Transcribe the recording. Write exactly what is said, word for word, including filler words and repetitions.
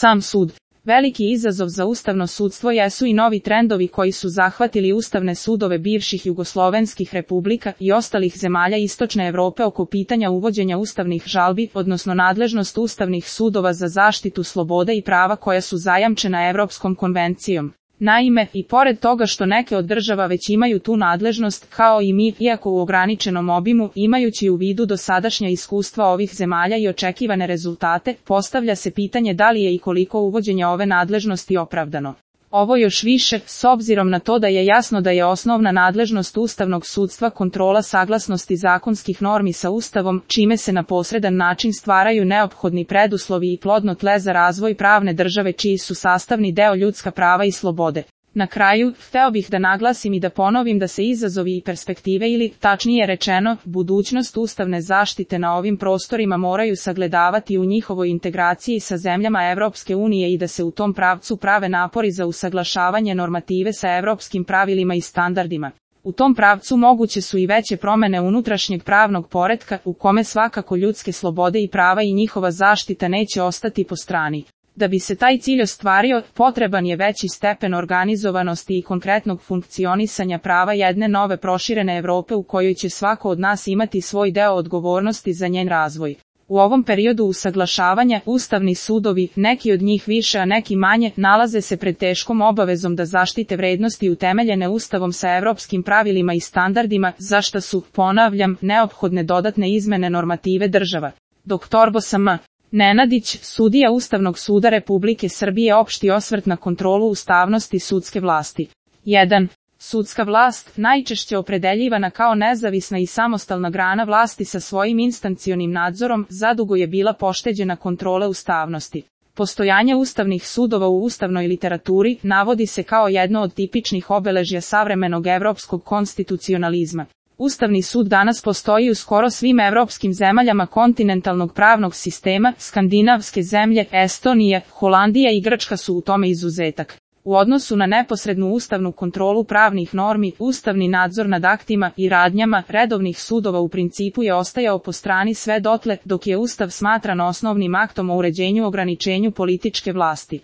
Sam sud. Veliki izazov za ustavno sudstvo jesu i novi trendovi koji su zahvatili ustavne sudove bivših jugoslovenskih republika i ostalih zemalja Istočne Evrope oko pitanja uvođenja ustavnih žalbi, odnosno nadležnost ustavnih sudova za zaštitu slobode i prava koja su zajamčena Evropskom konvencijom. Naime, i pored toga što neke od država već imaju tu nadležnost, kao i mi, iako u ograničenom obimu, imajući u vidu dosadašnja iskustva ovih zemalja i očekivane rezultate, postavlja se pitanje da li je i koliko uvođenje ove nadležnosti opravdano. Ovo još više, s obzirom na to da je jasno da je osnovna nadležnost ustavnog sudstva kontrola saglasnosti zakonskih normi sa Ustavom, čime se na posredan način stvaraju neophodni preduslovi i plodno tle za razvoj pravne države čiji su sastavni deo ljudska prava i slobode. Na kraju, hteo bih da naglasim i da ponovim da se izazovi i perspektive ili, tačnije rečeno, budućnost ustavne zaštite na ovim prostorima moraju sagledavati u njihovoj integraciji sa zemljama Evropske unije i da se u tom pravcu prave napori za usaglašavanje normative sa evropskim pravilima i standardima. U tom pravcu moguće su i veće promene unutrašnjeg pravnog poretka, u kome svakako ljudske slobode i prava i njihova zaštita neće ostati po strani. Da bi se taj cilj ostvario, potreban je veći stepen organizovanosti i konkretnog funkcionisanja prava jedne nove proširene Evrope u kojoj će svako od nas imati svoj deo odgovornosti za njen razvoj. U ovom periodu usaglašavanja, ustavni sudovi, neki od njih više a neki manje, nalaze se pred teškom obavezom da zaštite vrednosti utemeljene Ustavom sa evropskim pravilima i standardima, za šta su, ponavljam, neophodne dodatne izmene normative država. doktor Bosam Nenadić, sudija Ustavnog suda Republike Srbije, opšti osvrt na kontrolu ustavnosti sudske vlasti. jedan. Sudska vlast, najčešće opredeljivana kao nezavisna i samostalna grana vlasti sa svojim instancionim nadzorom, zadugo je bila pošteđena kontrole ustavnosti. Postojanje ustavnih sudova u ustavnoj literaturi navodi se kao jedno od tipičnih obeležja savremenog evropskog konstitucionalizma. Ustavni sud danas postoji u skoro svim evropskim zemaljama kontinentalnog pravnog sistema, skandinavske zemlje, Estonija, Holandija i Grčka su u tome izuzetak. U odnosu na neposrednu ustavnu kontrolu pravnih normi, ustavni nadzor nad aktima i radnjama redovnih sudova u principu je ostajao po strani sve dotle dok je Ustav smatran osnovnim aktom o uređenju ograničenju političke vlasti.